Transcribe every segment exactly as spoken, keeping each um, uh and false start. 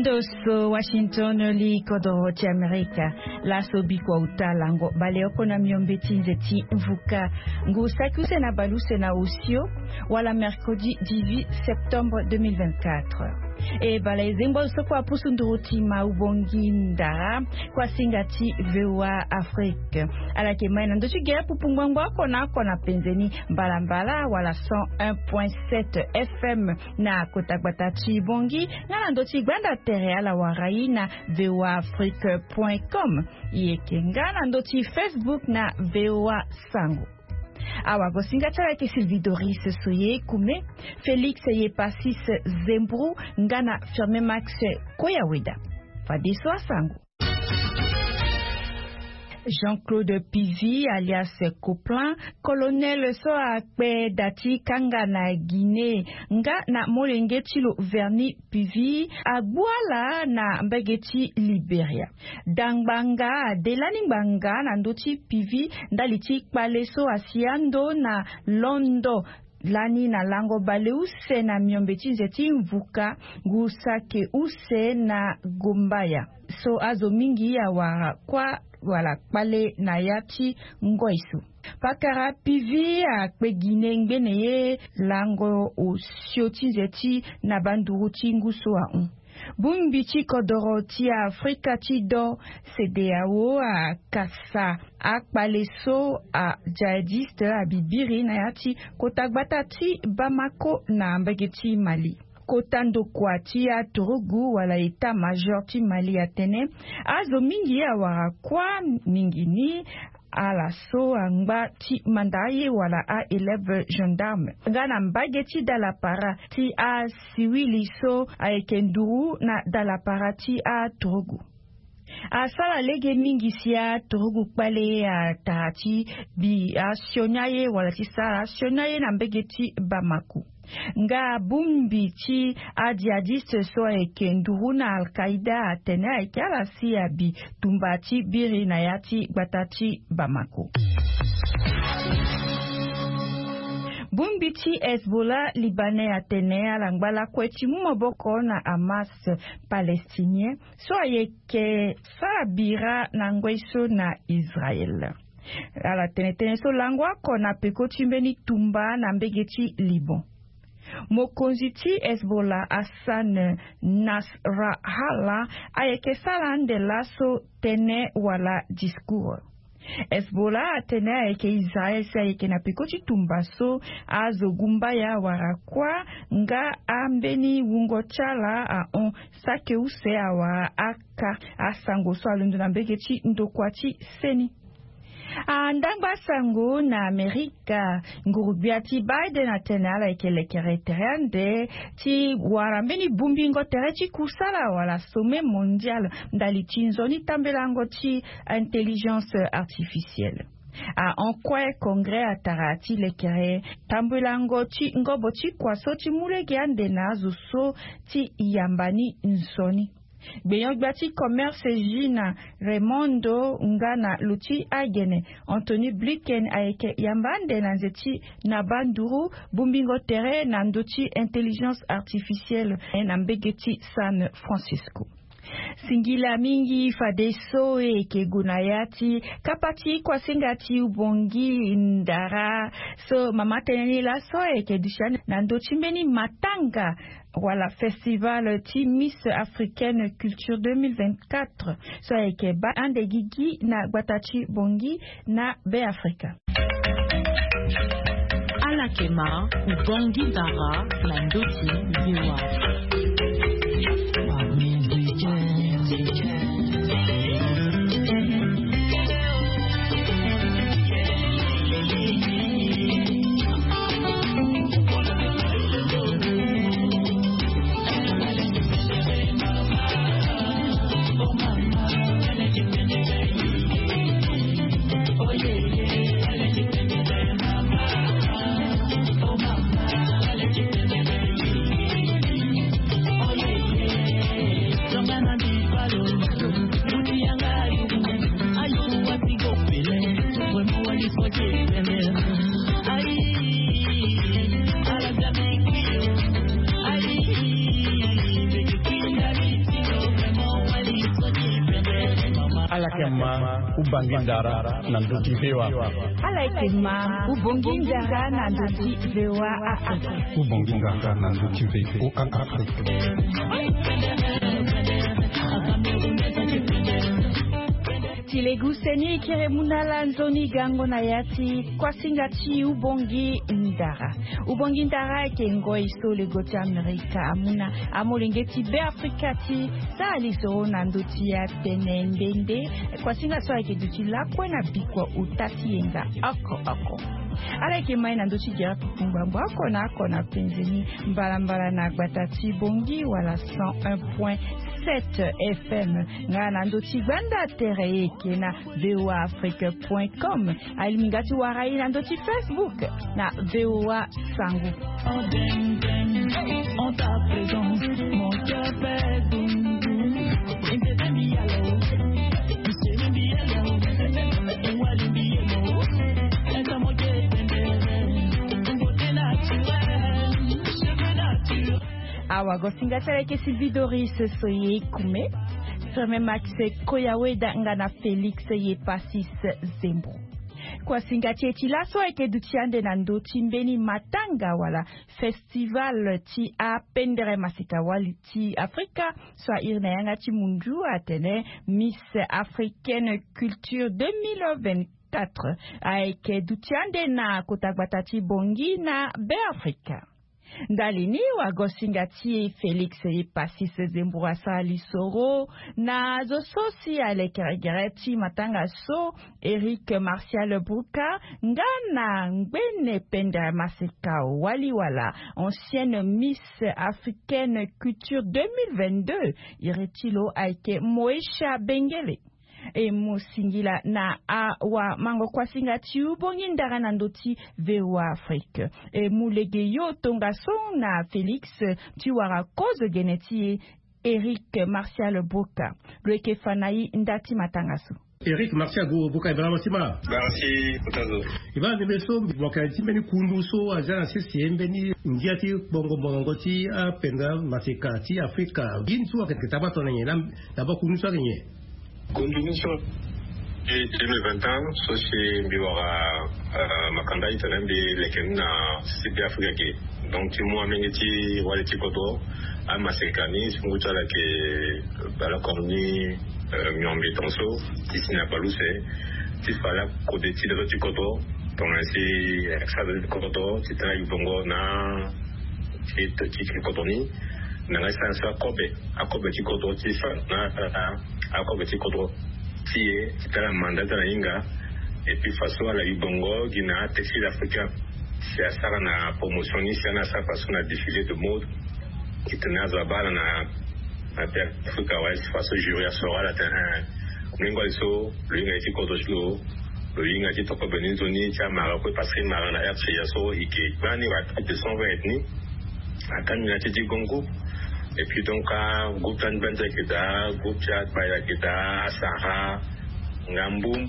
Ndo so Washington, li kodoro ti Amerika. Laso bikua uta lango baleoko na miombe ti nze ti mvuka, ngu saki use na baleuse na osio, wala mercredi dix-huit septembre deux mille vingt-quatre. E bala e zengbo so kua pusu nduru ti ma ubongi ndara kua singa ti V O A Afrique. Ala yeke mai na ndö ti gere pupu ngbangbo oko na oko na penze ni, mbalambala wala cent un point sept F M na kota gbata ti Bangui, nga na ndö ti gbanda tere ala wara e na V O A Afrique point com. E yeke nga na ndö ti Facebook na V O A Sango. Awagosinga ti ala yeke Sylvie Doris Soye Kume, Félix Yepasis Zembru, nga na Firmin Max Koyaweda. Fadeso asango. Jean-Claude Pivi alias Coplan, colonel so akpe da ti kanga na Guinée, nga na molenge ti lo Verny Pivi, agbu ala na mbege ti Liberia. Da ngbanga ade lani ngbanga na ndö ti Pivi ndali ti kpale so asi ando na londo lani na lango baleuse na miombe ti nze ti mvuka, ngu saki use na Gombaya. So azo mingi awara kuâ wala kpale na ya ti ngoi so. Pakara Pivi akpe Guinée ngbene ye lango osio ti nze ti na banduru ti ngu so ahon. Bongbi ti kodoro ti Afrika ti do, CEDEAO, akasa akpale so ajihadiste abibiri na ya ti kota gbata ti Bamako na mbege ti Mali. Kota ndokua ti aturugu wala état-major ti Mali atene azo mingi awara kuâ mingi ni ala so angba ti manda aye wala a-élève gendarme, nga na mbage ti dalapara ti asiwili so ayeke nduru na dalapara ti aturugu. Asara lege mingi si aturugu kpale atara ti bi asioni aye wala ti sara asioni aye na mbege ti Bamako. Nga bongbi ti ajihadiste so ayeke nduru na Al-Qaïda atene ayeke ala si abi tumba ti biri na ya ti gbata ti Bamako. Bongbi ti Hezbollah libanais atene ala ngba lakue ti mu maboko na Hamas palestinien so ayeke sara bira na ngoi so na Israël. Ala tene tënë so lango oko na peko ti mbeni tumba na mbege ti Liban. Mokonzi ti Hezbollah Hassan Nasrallah ayeke sara ande laso tënë wala discours. Hezbollah atene ayeke Israël si ayeke na peko ti tumba so azo gumbaya awara kuâ nga ambeni wungo ti ala ahon saki use awara aka asango so alondo na mbege ti ndokua ti seni. Andangba sango na Amerika, nguru-gbia ti Biden atene ala yeke lekere tere ande ti wara mbeni bongbingo tere ti kusala wala sommet mondial ndali ti nzoni tambelango ti intelligence artificielle. Ahon kue congrès atara ti lekere tambelango ti ngobo ti kua so ti mu lege ande na azo so ti yamba ni nzoni. Gbenyo-gbia ti commerce Gina Raimondo nga na lo ti agene Antony Blinken ayeke yamba ande na nze ti na banduru bongbingo tere na ndö ti intelligence artificielle na mbege ti San Francisco. Singila mingi fadeso e yeke gue na ya ti kapa ti kuasinga ti ubongi ndara so mama tënë ni laso e yeke duti na ndö ti mbeni matanga wala festival ti Miss Africaine Culture deux mille vingt-quatre so ayeke baa ande gigi na gbata ti Bangui na Beafrika. Alakema ubongi ndara na ndö ti V O A. Yama, ubangindara na ndoti vewa. Ala yeke ma ubangindara na ndoti vewa Afrika. Ubangindara na ndoti vewa Afrika. Ti legu seni kiri muna ala nzoni gango na ya ti kuasinga ti ubangindara. Ubangindara ayeke ngoi so lego ti Amerika amuna amolenge ti Be Afrika ti sara lisoro na ndö ti atene nde nde kuasinga so ayeke duti lakue na bikua ota ti yenga oko oko. Ala yeke mai na ndö ti gere kuku ngbangbo oko na oko na penze ni mbalambala na gbata ti Bongi wala cent un point sept F M. Nga na ndö ti gbanda tere eke na V O A Afrique point com. Alingbi nga ti wara e na ndö ti Facebook na V O A Sango. Awa gosinga ti ala yeke si Vidoris so ye kume, Firme Max Koyaweda nga na Félix ye Pasis Zembo. Kuasinga ti e ti laso ayeke duti ande na ndö ti mbeni matanga wala festival ti apendere maseka wali ti Afrika so airi na yanga ti mundu atene Miss Africaine Culture deux mille vingt-quatre ayeke duti ande na kota gbata ti Bongi na Be Afrika. Ndali ni wagosinga ti e Félix ye Pasis Zembo asara lisoro na zo so si alekere gere ti matanga so, Eric Martial Brouka nga na ngbene pendere maseka wali wala ancienne Miss Africaine Culture deux mille vingt-deux, iri ti lo ayeke Moesha Bengele. E mu singila na awamango kuasinga ti ubongi ndara na ndö ti V O A Afrique. E mu lege yo tongaso na Félix ti wara kozo gene ti e, Eric Martial Brouka. Lo yeke fa na e nda ti matanga so. Eric Martial Brouka, e baa mo si ma. Baa si kota zo. E baa ndembe so mo yeke na li ti mbeni kundu so aza na sese mbeni ngia ti kpongo mongongo ti apenda maseka ti Afrika. Gi ni so ayeke taba tongana nyen? D'abord kundu ni so ayeke nyen? Kundu ni so, e deux mille vingt et un so si mbi wara, euh, makanda ti tene mbi leke ni na sese Be Afrika ge. Donc ti mu amenge ti wali ti kodro, amaseka ni so ngu ti ala yeke bale oko ni, euh, miombe tongaso ti si na bale use ti fa lakode ti laso ti kodro. Tongana si, euh, sara laso ti kodro ti tene ayu bongo na ti, ti, ti kodro ni. Na nga ti sara so akobe, akobe ti kodro ti fa na, euh, akobe ti kodro ti e ti tara manda ti ala na hinga. Et puis faso ala yu bongo gi na atextile africain. Si asara na promotion ni, si ana asara faso na défilé de mode, ti tene azo abaa ala na, na Be Afrika awe. Si faso jury asoro ala tene, eh, ndenge wali so lo hinga ye ti kodro ti lo, lo hinga ti toko bene nzoni ti amara kue parce que mara na R C A so e ke gbani wa plus de cent vingt ethnies. Akani na ti ti grand groupe. Et puis donc, ah, groupe ti Angbandi ayeke daa, groupe ti Agbay ayeke daa, Asara, nga Mboum.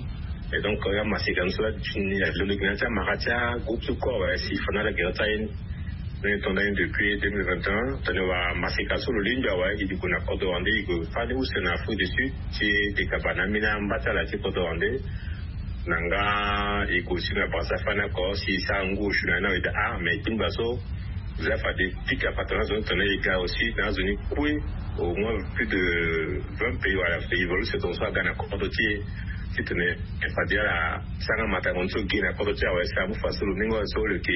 Et donc, euh, amaseka ni so la ti ni, lo leke na ti amara ti agroupe so kue awe, si fa na ala gere ti aye ni. Ni tonda ni depuis deux mille vingt et un, tongana wara maseka so lo lingbi awe, e gue na kodro wande, e gue fani use na Afrique du Sud, ti e, e kaba na ambeni amba ti ala ti kodro wande. Na nga e gue aussi na Brazza fani oko, si e sara ngu osio na ni na weda, ah, mais e tingba so, Za fade pika patara na zo ni tongana e ga aussi na azo ni kue, au moins plus de vingt pays wala pays évolué, c'est donc so aga na kodro ti e. Ti tene e fade ala sara matango ni so ge na kodro ti e awe, si amu fa so lo ni ngo so lo yeke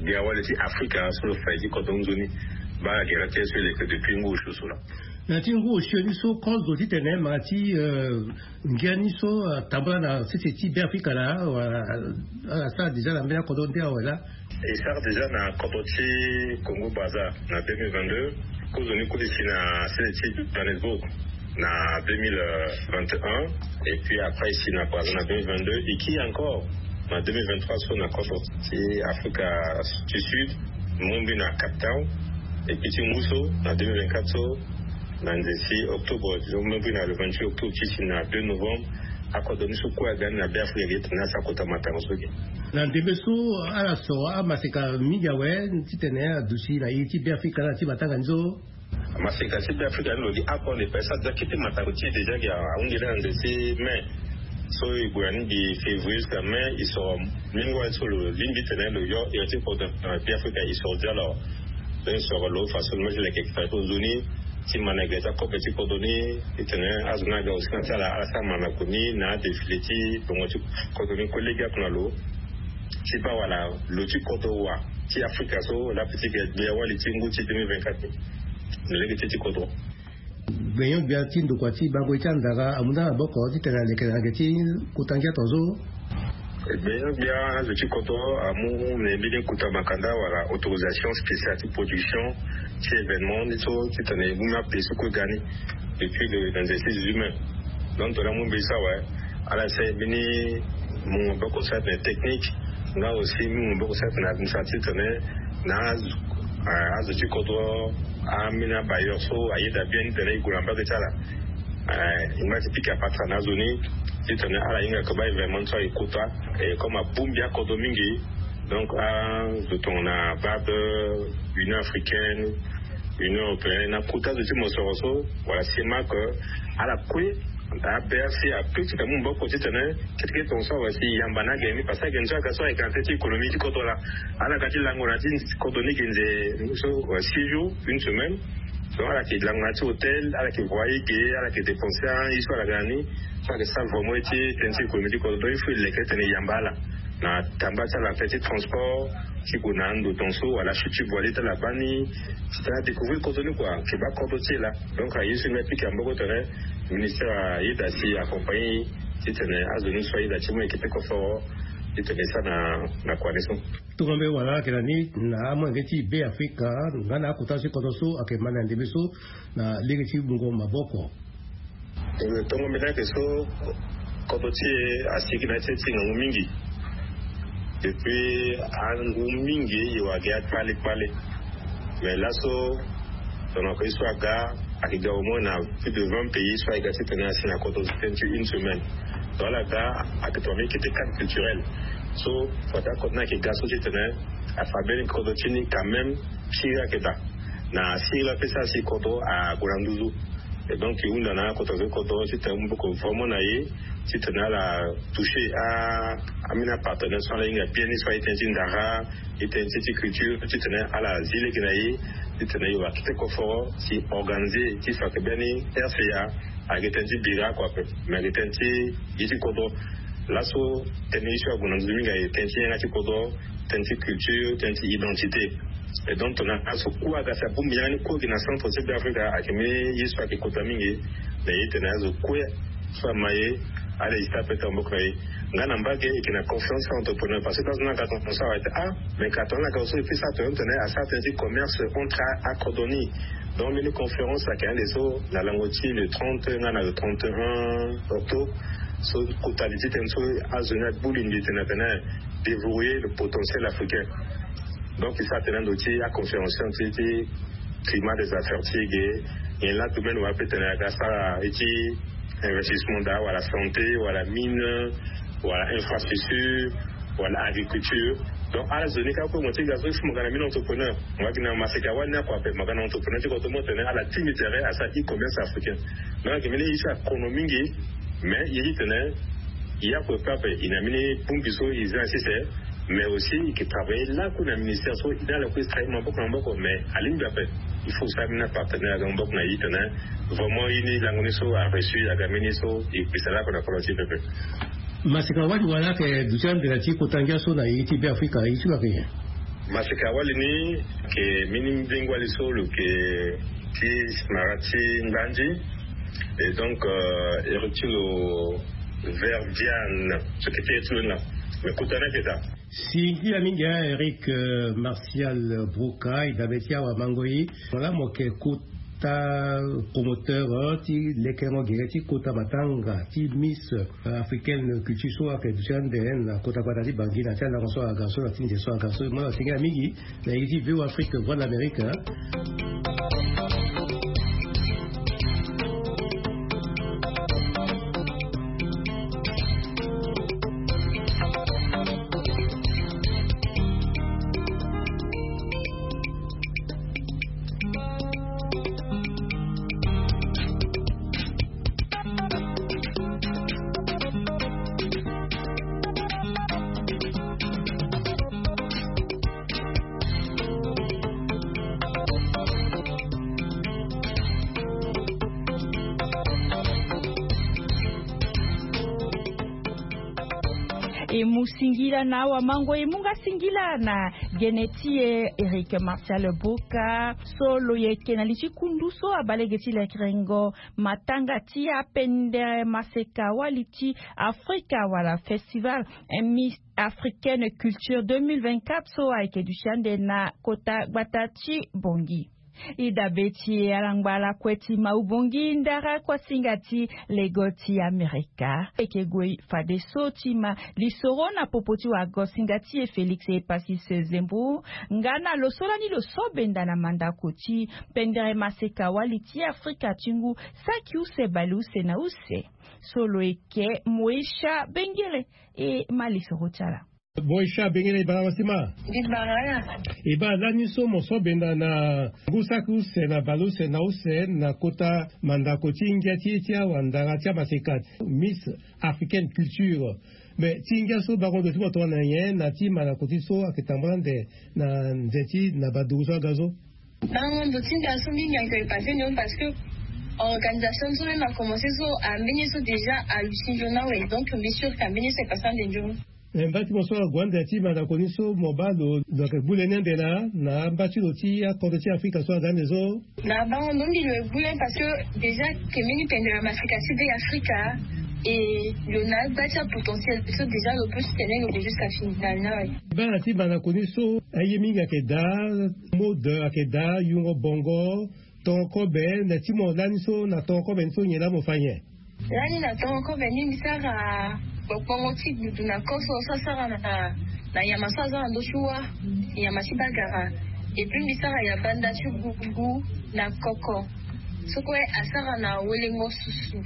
bia wali ti Afrika so lo fa ye ti kodro nzoni. Baa gere ti e so e leke depuis ngu osio so laa. Na ti ngu osio ni so kozo ti tene ma ti, euh, ngia ni so, euh, atambula na sese ti Be Afrika laa, euh, asara déjà na mbeni akodro nde awe laa. E sara déjà na kodro ti Congo Brazza na deux mille vingt-deux. Kozo ni kue e si na sese ti Johannesburg na deux mille vingt et un. Et puis après e si na Brazza na deux mille vingt-deux. E kiri encore na deux mille vingt-trois so na kodro ti Afrika du Sud, mu mbi na Cape Town. Et puis ti ngu so na deux mille vingt-quatre so, na nze ti octobre, donc même na le vingt-huit octobre ti si na deux novembre, akodro ni so kue aga ni na Be Afrika ge tene asara kota matango so ge. Na ndembe so ala soro amaseka mingi awe ti tene aduti na iri ti Be Afrika na ti matanga ni so. Maseka ti Beafrika ni lo gi apo ande pe sa dia kete matako ti e déjà gi ahunde na nze ti mai. So e gue na ni gi février jusqu'à mai, e soro mingi wali so lo lingbi tene lo yo iri ti kodro na Beafrika, e soro dia lo. Donc e soro lo faso lo ma ti leke keta ti nzoni ti ma na gere ti akobe ti kodro ni. Titene azo ni aga aussi na ti ala ala sara mandako ni na adéfilé ti bongo ti kodro ni kue lege oko na lo ti baa wala lo ti kodro wa ti Afrika so la petite guerre gbia wali ti ngu ti deux mille vingt-quatre ni. Na lege ti ti kodro. Gbenyo-gbia ti ndokua ti bango ye ti andara amu nda na maboko titene aleke na yanga ti kota ngia tongaso. Gbenyo-gbia azo ti kodro amu na mbeni kota makanda wala autorisation spéciale ti production ti événement ni so titene e mu mbi ape so kue ga ni depuis le vingt-six juin. Donc tongana amu mbeni so awe, ala sara mbeni mungo maboko so atene technique, nga aussi mungo maboko so atene administratif titene na azo, eh, azo ti kodro, ambeni abailleur so ayeda bien ni titene e gue na mbage ti ala. Eh, e ma ti pika patara na azo ni titene ala hinga ke baa événement so aye kota. Et comme abongbi akodro mingi, donc azo tongana baa be Union africaine, Union européenne, na kota azo ti mosoro so wala CEMAC, ala kue na B R C akui ti ka mu maboko titene kete kete tongaso awe si e yamba na agene ni, parce que agene so aga so ayeke na teti économie ti kodro laa. Ala ga ti lango na ti kodro ni gi nze so, euh, six jours, une semaine. Donc ala yeke lango na ya ti hôtel, ala yeke voyer ge, ala yeke dépenser aye so ala ga na ni. So ala yeke sara vraiment ye ti tënë ti économie ti kodro. Donc il faut e leke titene e yamba ala na tamba ti ala na tënë ti transport ti gue na ando tongaso wala achute ti voilier ti ala baa ni, titene adécouvrir kodro ni kua, ayeke baa kodro ti e laa. Donc aye so e mbi apika maboko titene ministère ayeda si accompagner titene azo ni so ayeda ti mu yeke peko foro titene e sara na, na kua ni so. Tongana mbi wara ayeke na ni na amolenge ti Beafrika nga na akota so ti kodro so ayeke ma na ndembe so na lege ti mungo maboko. Eh, tongo mbi na yeke so, kodro ti e asigi na ya ti e ti ngangu mingi. Depuis angu mingi e wara gi akpale kpale. Mais laso, tongana ko ye so aga, ayeke ga au moins na plus de vingt pays so ayeke ga titene asi na kodro ti tënë ti une semaine. Donc ala ga, ayeke tongana mbi yeke ti cadre culturel. So fade akodro ni ayeke ga so titene afa mbeni kodro ti ni quand même, siriri ayeke daa. Na siriri la pe so asi kodro ague na nduzu. Et donc e hunda na akota zo ti kodro titene e mu maboko vraiment na e titene ala toucher a, ambeni apartenaire so ala hinga bien ni so aye tënë ti ndara, aye tënë ti, ti culture, titene ala zi lege na e titene e wara kete koforo si organiser ti fa ke mbeni R C A ayeke tënë ti bira kua ape, mais ayeke tënë ti ye ti kodro. Laso tënë ye so ague na nduzu mingi ayeke tënë ti yanga ti kodro, tënë ti culture, tënë ti identité. Et donc tongana azo kue aga si abongbi yanga ni kue gi na centre ti Beafrika, ayeke mbeni ye so ayeke kota mingi. Na ye tene azo kue so ama ye, ala hésiter ape ti maboko na e. Nga na mbage e yeke na conférence entrepreneur, parce que azo ni aga tongaso awe ti ah, mais ka tongana aga so e peut sara tongana tene asara tënë ti commerce entre akodro ni. Donc mbeni conférence ayeke ande so na lango ti le trente nga na le trente et un octobre. So kota li ti tënë so azo ni agbu lingbi tene atene déverrouiller le potentiel africain. Donc e sara tene ando ti aconférence ti, ti climat des affaires ti e ge. Nyen laa domaine wala peut tene aga sara ye ti investissement daa wala santé wala mine wala infrastructure wala agriculture. Donc ala zo ni kâ kue mo ti ga so si mo ga na mbeni entrepreneur, mo ga gi na maseka wali ni akua ape, mo ga na entrepreneur ti kodro mo tene ala ti mi tere asara e-commerce africain. Donc ayeke mbeni ye so akono mingi. Mais ye ti tene e ya kue pe ape e na mbeni bongbi so e za na sese. Mais aussi e yeke travailler lakue na ministère so e na ala kue e travailler maboko na maboko, mais alingbi ape. Il faut sara mbeni apartenaire aga maboko na e tene vraiment ye ni lango ni so areussi aga mbeni so e pesa lakue na kodro ti e pepe. Maseka wali wala ayeke duti ande na ti kota ngia so na ye ti Beafrika, ye ti lo ayeke nyen? Maseka wali ni ayeke mbeni mbingo wali so lo yeke ti mara ti ngbandi. Et donc euh, e reti lo verdiane so kete ye ti lo ni laa. Mais kota ni ayeke daa. Si ngia mingi a Eric, euh, Martial Broca, e dabe ti awa mango e. Wala mo yeke kota promoteur, euh, ti lekerengo gere ti kota matanga ti Miss, euh, africaine culture so ayeke duti ande na kota gbata ti Bangui na ti alango so aga so na ti nze so aga so. Mo na si ngia mingi. Na ye ti V O Afrique, Voix de l'Amérique, hein. E mu singila na awamango e mu nga singila na gene ti e Eric Martial Boka so lo yeke na li ti kundu so abaa lege ti lekerengo matanga ti apendere maseka wali ti Afrika wala festival Miss Africaine Culture deux mille vingt-quatre so ayeke duti ande na kota gbata ti Bongi. E dabe ti e alangba lakue ti Maubongi ndara kuasinga ti lego ti Amerika. E yeke gue fadeso ti ma lisoro na popo ti wagosinga ti e Félix Epasis Zembo nga na lo so lani lo so benda na mandako ti pendere maseka wali ti Afrika ti ngu saki use baleuse na use. So lo yeke Moesha Bengele e ma lisoro ti ala. Boy Sha Bengele, e bara wa si ma. Mbi bara ala. E bara lani so mo so benda na ngu saki use na baleuse na use na kota mandako ti ngia ti e ti awandara ti amaseka Miss Africaine Culture. Mais ti ngia so bango ndo ti mo tongana nyen na ti mandako ti so ayeke tambula ande na nze ti na baduru so aga so? Bango ndo ti ngia so mingi ayeke passé nyon parce que organisation so même a commencé so ambeni so déjà aluti nzoni awe, donc mbi sûr que ambeni so e passé ande nzoni. Eh, mba ti mo so ague ande na ti mandako ni so mo baa lo, lo yeke gbu le ni ande laa na mba ti lo ti akodro ti Afrika so aza ande so? Na bango ndo mbi lo e gbu le parce que déjà ke mbeni pendere maseka ti be Afrika, e lo na agba ti apotentiel so déjà lo peut ti tene lo ke jusqu'à finale ni awe. Baa na ti mandako ni so aye mingi ayeke daa, mode ayeke daa, yungo bongo, tongo kobe, na ti mo lani so na tongo kobe ni so nyen laa mo fa nyen? Lani na tongo kobe ni mbi sara gbongbongo ti gbudu na koso so asara na, na nyama so aza na ndö ti wa, nyama ti bagara. Et puis mbi sara yabanda ti gugu na koko so kue asara na welengo susu.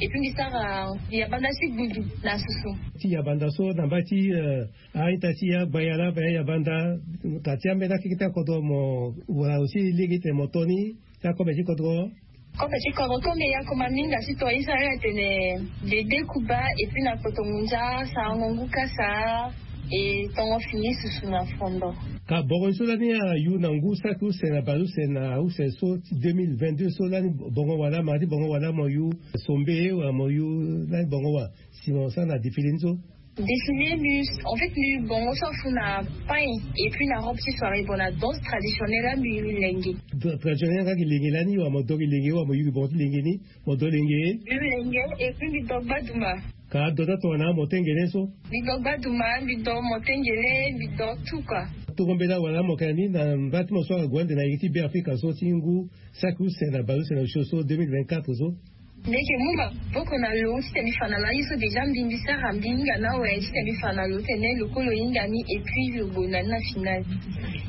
Et puis mbi sara yabanda ti gbudu na susu. Ti yabanda so na mba ti, eh, a-ita ti agbaya laa, baya yabanda, ka ti ambeni akeke ti akodro mo wara aussi lege ti tene mo to ni ti akobe ti kodro? Kobe ti kodro, kobe ya koma mingi ti to isa ya tene dede kuba, et puis na koto ngunza, sarango ngu kasa, e tongo fini susu na fondo. Ka bongo so lani ayu na ngu saki use na baleuse na use so ti deux mille vingt-deux so lani bongo wala, ma ti bongo wala mo yu sombe wala mo yu lani bongo wa si mo sara na défilé ni so? Défilé mbi, en fait mbi bongo so afu na pagne et puis na robe ti soirée, bon na danse traditionnelle la mbi lenge. Traditionnelle nga gi lenge lani wa mo do gi lenge wa mo yugi bongo ti lenge ni, mo do lenge? Mbi lenge et puis mbi do gbaduma. Ka do ta tongana mo tengele so? Mbi do gbaduma, mbi do mo tengele, mbi do tout quoi. Toko mbela wala mo kani na mba ti mo so ague ande na iri ti Be Afrika so ti ngu saki use na baleuse na use so deux mille vingt-quatre so? Mbi yeke mu maboko na lo ti tene mbi fa na lo aye so déjà mbi mbi sara mbi hinga na awe ti tene mbi fa na lo ti tene lo kue lo hinga ni et puis lo gonda ni na finale.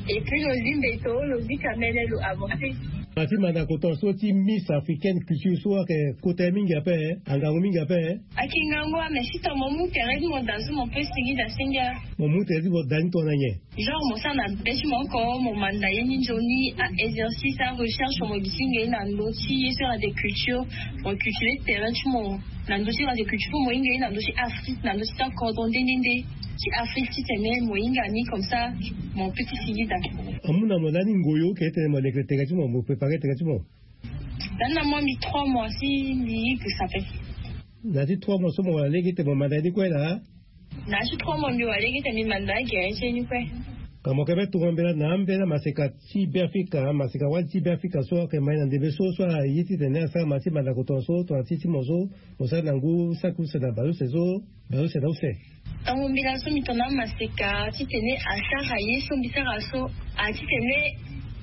Et puis lo zi mbeto, lo zi kamene, lo avancer. Na ti mandako tongaso ti Miss Africaine Culture so ayeke kota ye mingi ape, angangu mingi ape. Ayeke ngangu ame si tongana mo mu tere ti mo da so mo pe sigi da senge. Mo mu tere ti mo da ni tongana nyen? Genre mo sara na be ti mo oko, mo manda ye ni nzoni, a exercice, a recherche, mo gi ti hinga ye na ndö ti ye so era de culture, mo culture tere ti mo na ndö ti era de culture, po mo hinga ye na ndö ti Afrique, na ndö ti akodro nde nde nde ti Afrique ti tene mo hinga ni comme ça mo pe ti sigi da. Amu na mo lani ngoyo ke tene mo leke tere ti mo, mo prépare tere ti mo? Lani na moi mbi trois mois si mbi yi gusa pe. Na ti trois mois so mo wara lege ti tene mo manda ye ni kue laa? Na ti trois mois mbi wara lege ti tene mbi manda agere ti ye ni kue. Ka mo yeke be tongo mbela na ambela maseka ti Be Afrika, maseka wali ti Be Afrika so ayeke ma ye na ndembe so so aye ti tene asara ma ti mandako tongaso tongana ti ti mo so mo sara na ngu saki use na baleuse so, baleuse na use? Tango mbela so mbi tongana amaseka ti tene asara ye so mbi sara so, a ti tene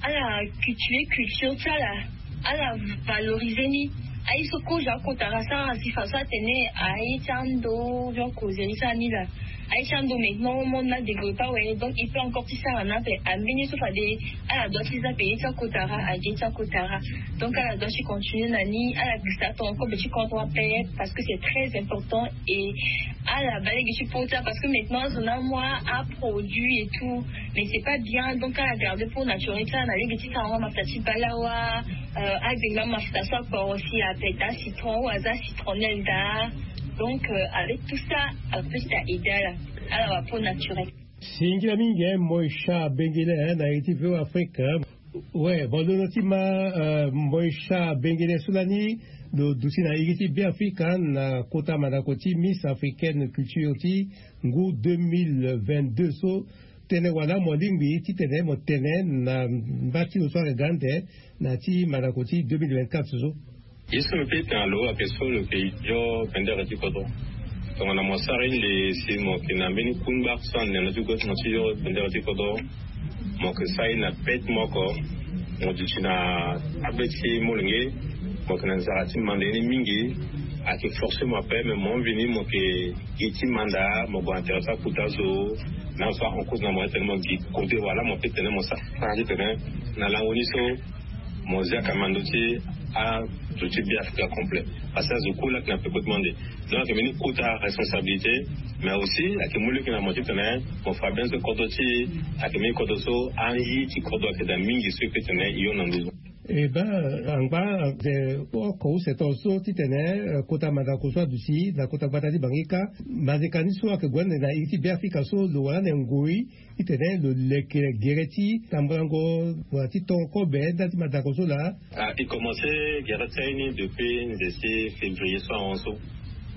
ala cultiver culture ti ala, ala valoriser ni. Aye so kozo akota asara si faso atene aye ti ando, donc kozeli sara ni la. Aye ti ando maintenant monde na développer awe, donc il peut encore ti sara na ape. Ambeni so fade ala doit ti za pe ye ti akota, age ti akota. Donc ala doit ti continuer na ni, ala gisa tongo kobe ti kodro ape, parce que c'est très important. Et ala baa lege ti pota parce que maintenant azo na amoi aproduit et tout, mais c'est pas bien. Donc ala garder pour naturel ti ala na lege ti sarango mafuta ti balawa, euh, agbengba mafuta so akporo si ape daa citron ou aza citronnelle daa. Donc euh, avec tout ça, ala peut ti aider ala, ala wara peau naturelle. Singila mingi eh, Moesha Bengele eh, na iri ti V O A Afrique eh. Ouais, bon, londo ti ma, euh, Moesha Bengele so lani Lo duti na iri ti Beafrika na kota mandako ti Miss Africaine Culture ti ngu deux mille vingt-deux so, tene wala mo lingbi titene mo tene na mba ti lo so ayeke ga ande na ya ti mandako ti deux mille vingt-quatre so? Ye so mbi pe tene na lo ayeke so lo yeke yo bendere ti kodro. Tongana mo sara inde si mo yeke na mbeni kungba so ande na ti gouvernement ti yo bendere ti kodro, mo yeke sara ye na bete moko. Mo duti na abe ti molenge, mo yeke na nzara ti manda ye ni mingi. Ayeke forcé mo ape, me mo mvini mo yeke gi ti manda, mo gue intéressé akuta zo. Na so en cause na mo tene mo gi kode wala mo pe tene mo sara titene na lango ni so mo zia kamando ti azo ti Beafrika complet. Parce que azo kue laa ayeke na peko ti mo ande. Donc ayeke mbeni kota responsabilité, mais aussi ayeke mu lege na mo titene mo fa bien so kodro ti e ayeke mbeni kodro so aye ti kodro ayeke daa mingi so e pe tene e yo na nduzu. E baa angba, eh, oko use tongaso titene, eh, kota mandako so aduti na kota gbata ti Bangui kâ, manzeka ni so ayeke gue ande na iri ti Beafrika so lo wara ande ngoi titene lo leke gere ti tambulango wala ti tongo kobe ndali ti mandako so laa? Ah, e commencé gere ti aye ni depuis nze ti février so ahon so.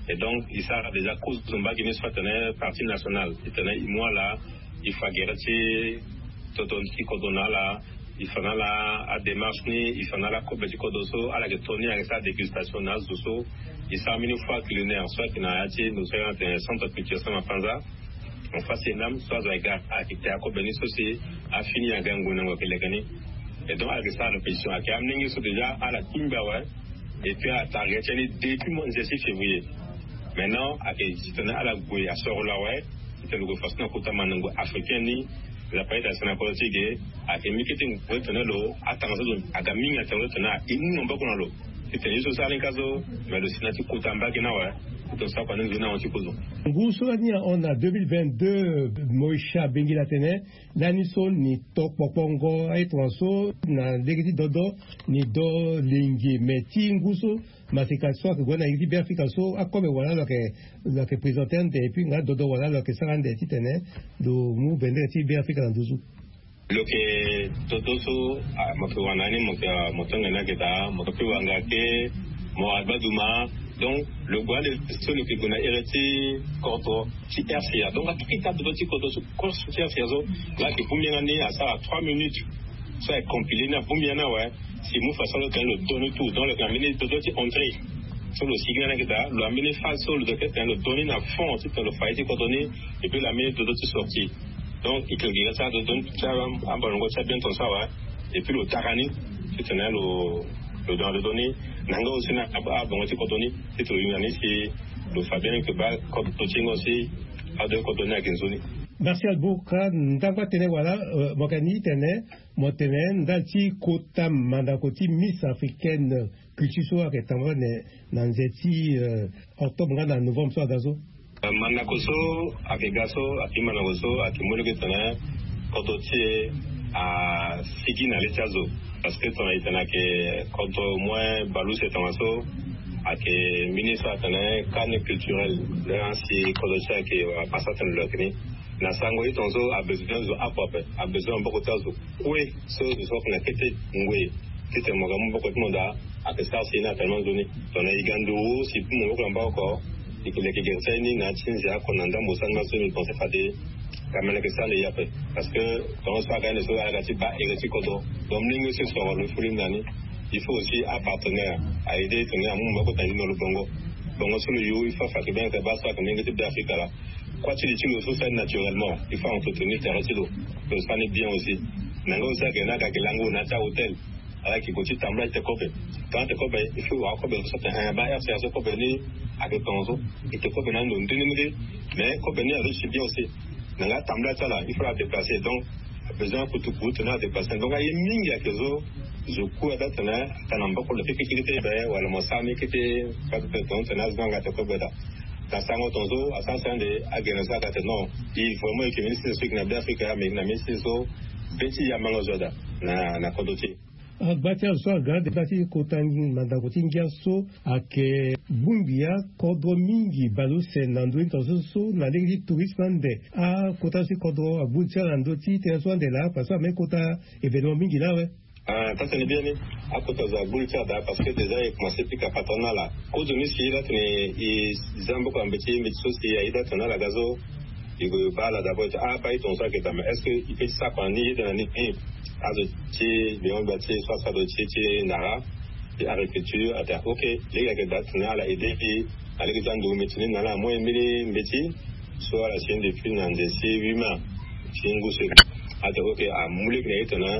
Et donc e sara déjà kozo mbage ni so atene partie nationale titene e mu ala, e fa gere ti toto ti kodro na ala, e fa na ala adémarche ni, e fa na ala kobe ti kodro so ala yeke to ni, ayeke sara dégustation na azo so. E sara mbeni foire culinaire so ayeke na ya ti ndo so ayeke na atene centre culture Saint Mapanza. En face ENAM so azo ayeke ga ayeke te akobe ni so si afini aga ngoi na ngoi ayeke leke ni. Et donc ala yeke sara répétition, ayeke amolenge so déjà ala kingbi awe. Et puis ala target ti ani depuis mois nze ti février. Maintenant ayeke titene ala gue asoro lo awe. Titene lo gue faso na kota mandango africain ni. Nzapa aye daa si na kodro ti e ge ayeke mi kete ngoi titene lo atanga so lo aga mingi atene lo titene e mu maboko na lo. Titene ye so sara ni ka so, me lo si na ti kota mbage ni awe. Titene lo sara kua ni nzoni na ahon ti kozo. Ngu so lani ahon na deux mille vingt-deux, Moïse Bengila atene lani so ni to kpokpongo aye tongaso na lege ti dodo ni do lengi, me ti ngu so maseka so ayeke gue na iri ti Beafrika so akobe wala lo yeke, lo yeke présenter ande, et puis nga dodo wala lo yeke sara ande titene lo mu bendere ti Beafrika na nduzu. Lo yeke dodo so, ah, mo yeke wara na ni, mo yeke, ah, mo tongana ni ayeke daa, mo yeke wara nga ke, mo wara gbaduma. Donc lo gue ande so lo yeke gue na ere ti kodro ti R C A. Donc akita dodo ti kodro so, kodro ti R C A so, la ayeke bongbi nga ni asara trois minutes. So ayeke compilé ni abongbi nga ni awe. Si mu façon lo tene lo do ni tout, donc lo yeke na mbeni dodo ti entrée so lo sigi nga ni ayeke daa, lo na mbeni phase so lo yeke tene lo do ni na fond titene lo fa ye ti kodro ni. Et puis lo na mbeni dodo ti sortie. Donc e yeke gi nga ti adodo ni ti ambalongo ti abien tongaso awe. Et puis lo dara ni titene lo, lo dara dodo ni na nga aussi na abongo ti kodro ni. Titene lo hinga ni si lo fa bien ni ke baa kodro ti nga aussi ado kodro ni ayeke nzoni. Martial Bourka, ndangba tënë wala, euh, mo yeke ni tene mo tene ndali ti kota mandako ti Miss Africaine Culture so ayeke tambula na, na nze ti, euh, octobre nga na novembre so aga so. Euh, mandako so ayeke ga so, ayeke mandako so ayeke mu lege tene kodro ti e asigi na le ti azo. Parce que tongana e tene ayeke kodro au moins baleuse tongaso, ayeke mbeni so atene carnet culturel. Laa si kodro ti e ayeke, euh, pasa atene lo yeke ni. Na sango ti tongaso abezoin zo apo ape, abezoin maboko ti azo kue so zo so ayeke na kete ngoi titene mo ga mu maboko ti mo daa. Ayeke sara si ye ni atene mo nzoni. Tongana e ga nduru si e mu maboko na maboko, e yeke leke gere ti aye ni na ya ti nze oko na ndambo sani ma so mbi pense fade ka mene yeke sara na e ape. Parce que tongaso aga ande so ala ga ti baa ere ti kodro. Donc molenge so e soro lo fo lingbi na ni. Il faut aussi apartenaire a aider tongana amu maboko na ni na lo bongo. Bongo so lo yo il faut afa yeke bien yeke baa so ayeke molenge ti Beafrika laa. Kua ti li ti lo so sara ni naturellement, il faut entretenir tere ti lo. Lo sara ni bien aussi. Na nga aussi ayeke na aga gi lango na ya ti ahôtel. Ala yeke gue ti tambula ti te kobe. Tongana te kobe, il faut wara kobe so tene, eh, baa R C A so kobe ni ayeke tongaso. E te kobe na ndo nde ni nde. Mais kobe ni azo ti bien aussi. Na nga tambula ti ala, il faut la déplacer. Donc besoin kutuku tene adéplacer. Donc aye mingi ayeke so zo kue ada tene ata na maboko lo keke keke ti be wala mo sara ni kete. Pas de tongana tene azo ni anga te kobe daa. Na sango tongaso asara si ande agene so aga tene non, e vraiment e yeke ministre so e yeke na Beafrika, me e yeke na ministre so be ti yamanga zo ada na, na kodro ti e. Agba ti azo so aga ande ti kota mandako ti ngia so ayeke bongbi akodro mingi baleuse na ndö ti tongaso so na lege ti tourisme ande. Akota so ti kodro agbu ti ala na ndö ti tënë so ande laa parce que ame kota événement mingi laa awe. Ah, tata ni biani. Akota zo agbu li ti ala daa, parce que déjà e commencé pika patron na ala. Kozo ni si la tene e za mboka mbeti mbeti so si aye da tene ala ga so, e ko baa ala d'abord ti, ah, baa e tongaso ayeke daa, mais est-ce que e peut ti sara kua ni, e yeda na ni? Azo ti Beyon, baa ti e so asara do ti e ti Nara ti agriculture, atene ok. Lege ayeke daa tene ala aidé e. Alege ti ando mbeti ni na ala amu e mbeni mbeti so ala si ni depuis na nze si huit mois ti ngu so. Atene ok, amu lege na e tene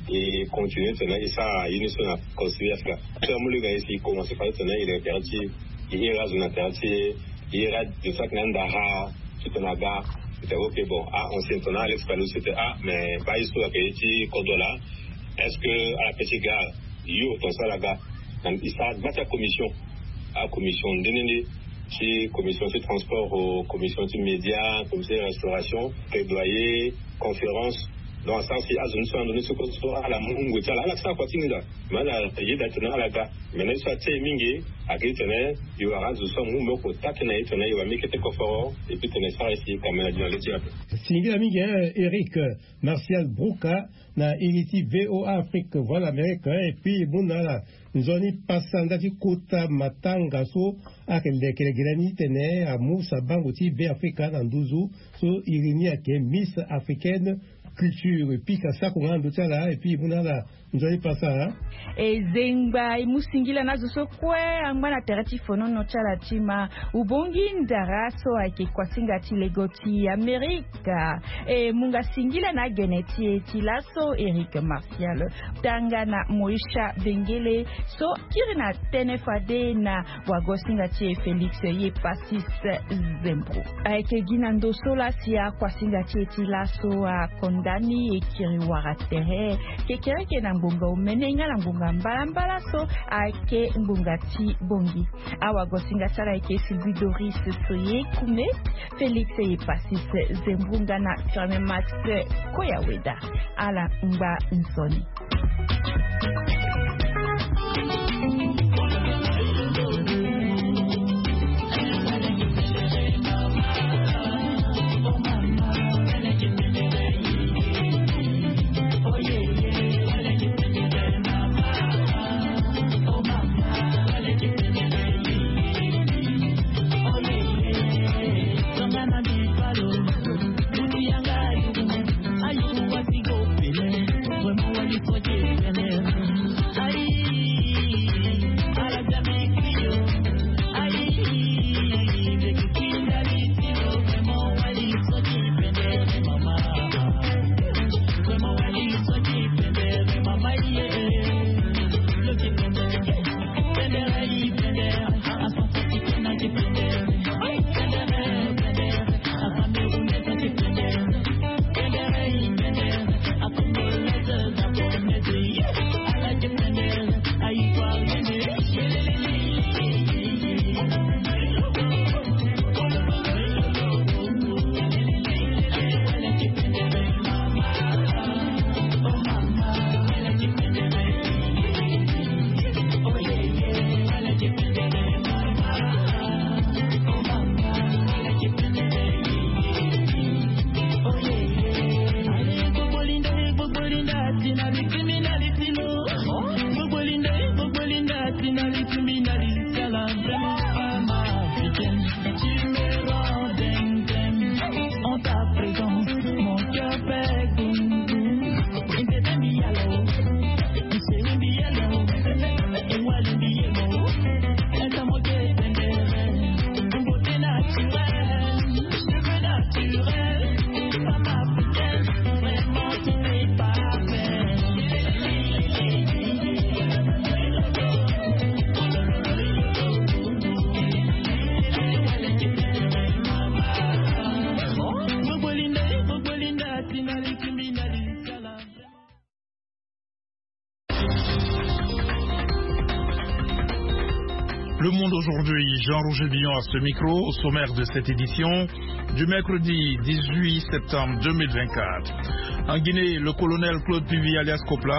e continue tene e sara ye ni so na considération. So amu lege na e si e commencé fa tene e leke tere ti e, e iri azo na tere ti e, e iri azo so ayeke na ndara titene aga. Atene ok, bon, ah, ancien tene Alex Palou, c'était, ah, mais baa ye so ayeke ye ti kodro laa, est-ce que ala peut ti ga? Yo, tongaso ala ga. Donc e sara gba ti acommission, acommission nde nde nde, ti commission ti transport, commission ti média, commission ti restauration, plaidoyer, conférence. Donc asara si azo ni so ando ni so kozo so ala mu ngoi ti ala, ala sara kua ti hinga. Mais ala yeda tene ala ga. Maintenant ye so atie e mingi ayeke titene e wara azo so amu maboko taa tënë na e tene e wara mbi kete koforo, et puis tene e sara ye si e kamera di na le ti ape. Singila mingi, hein, Eric Martial Brouka, na iri ti VOA Afrique, Voix d'Amérique, hein, et puis e mu na ala nzoni pasa nda ti kota matanga so ayeke leke lege ni titene amu sabango ti Be Afrika na nduzu so iri ni ayeke Miss Africaine Culture. Pika sako nga na ndö ti ala, et puis e mu na ala nzoni pasa. E zengba e mu singila na azo so kue angba na tere ti fonono ti ala ti ma. Ubongi ndara so ayeke kuasinga ti lego ti Amerika. E mu nga singila na agene ti e ti laso, Eric Martial, tanga na Moïsha Bengele so kiri na tënë fade na wagosinga ti e Félix Yepasis Zembro. Ayeke gi na ndo so laa si akuasinga ti e ti laso akonda ni e kiri wara tere kekereke na ngbonga omene nga na ngbonga mbalambala so ayeke ngbonga ti bongi. Awagosinga ti ala ayeke Sylvie Doris Soye Kume. Félix Yepasis Zembro nga na Firmin Max Koyaweda. Ala ngba nzoni. Le Monde Aujourd'hui, Jean-Roger Billon à ce micro, au sommaire de cette édition du mercredi dix-huit septembre deux mille vingt-quatre. En Guinée, le colonel Claude Pivi alias Coplan